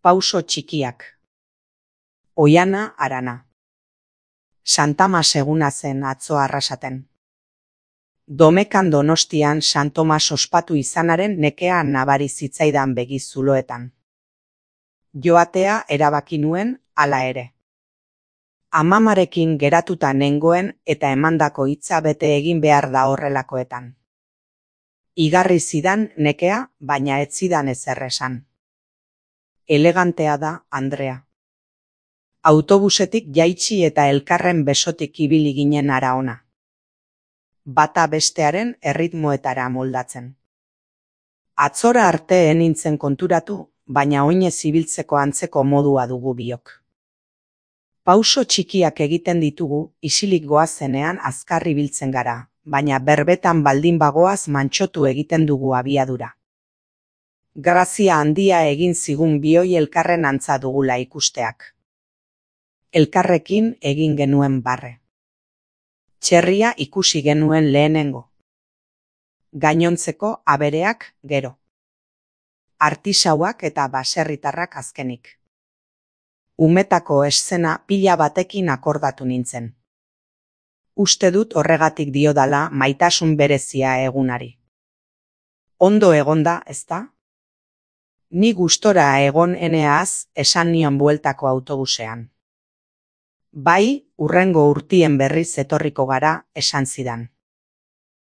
Pauso txikiak. Oiana Arana. Santa Mas eguna zen atzo Arrasaten. Domekan Donostian San Tomas ospatu izanaren nekea nabari zitzaidan begi zuloetan. Joatea erabaki nuen hala ere. Amamarekin geratuta nengoen eta emandako hitza bete egin behar da horrelakoetan. Igarri zidan nekea, baina ez zidan ezer esan. Elegantea da, Andrea. Autobusetik jaitsi eta elkarren besotik ibili ginen hara ona. Bata bestearen erritmoetara moldatzen. Atzora arte nintzen konturatu, baina oinez ibiltzeko antzeko modua dugu biok. Pauso txikiak egiten ditugu, isilik goazenean azkar ibiltzen gara, baina berbetan baldin bagoaz mantxotu egiten dugu abiadura. Grazia handia egin zigun bioi elkarren antza dugula ikusteak. Elkarrekin egin genuen barre. Txerria ikusi genuen lehenengo. Gainontzeko abereak gero. Artisauak eta baserritarrak azkenik. Umetako eszena pila batekin akordatu nintzen. Uste dut horregatik diodala maitasun berezia egunari. Ondo egonda, ezta? Ni gustora egon eneaz esan nion bueltako autobusean. Bai, hurrengo urtien berriz etorriko gara, esan zidan.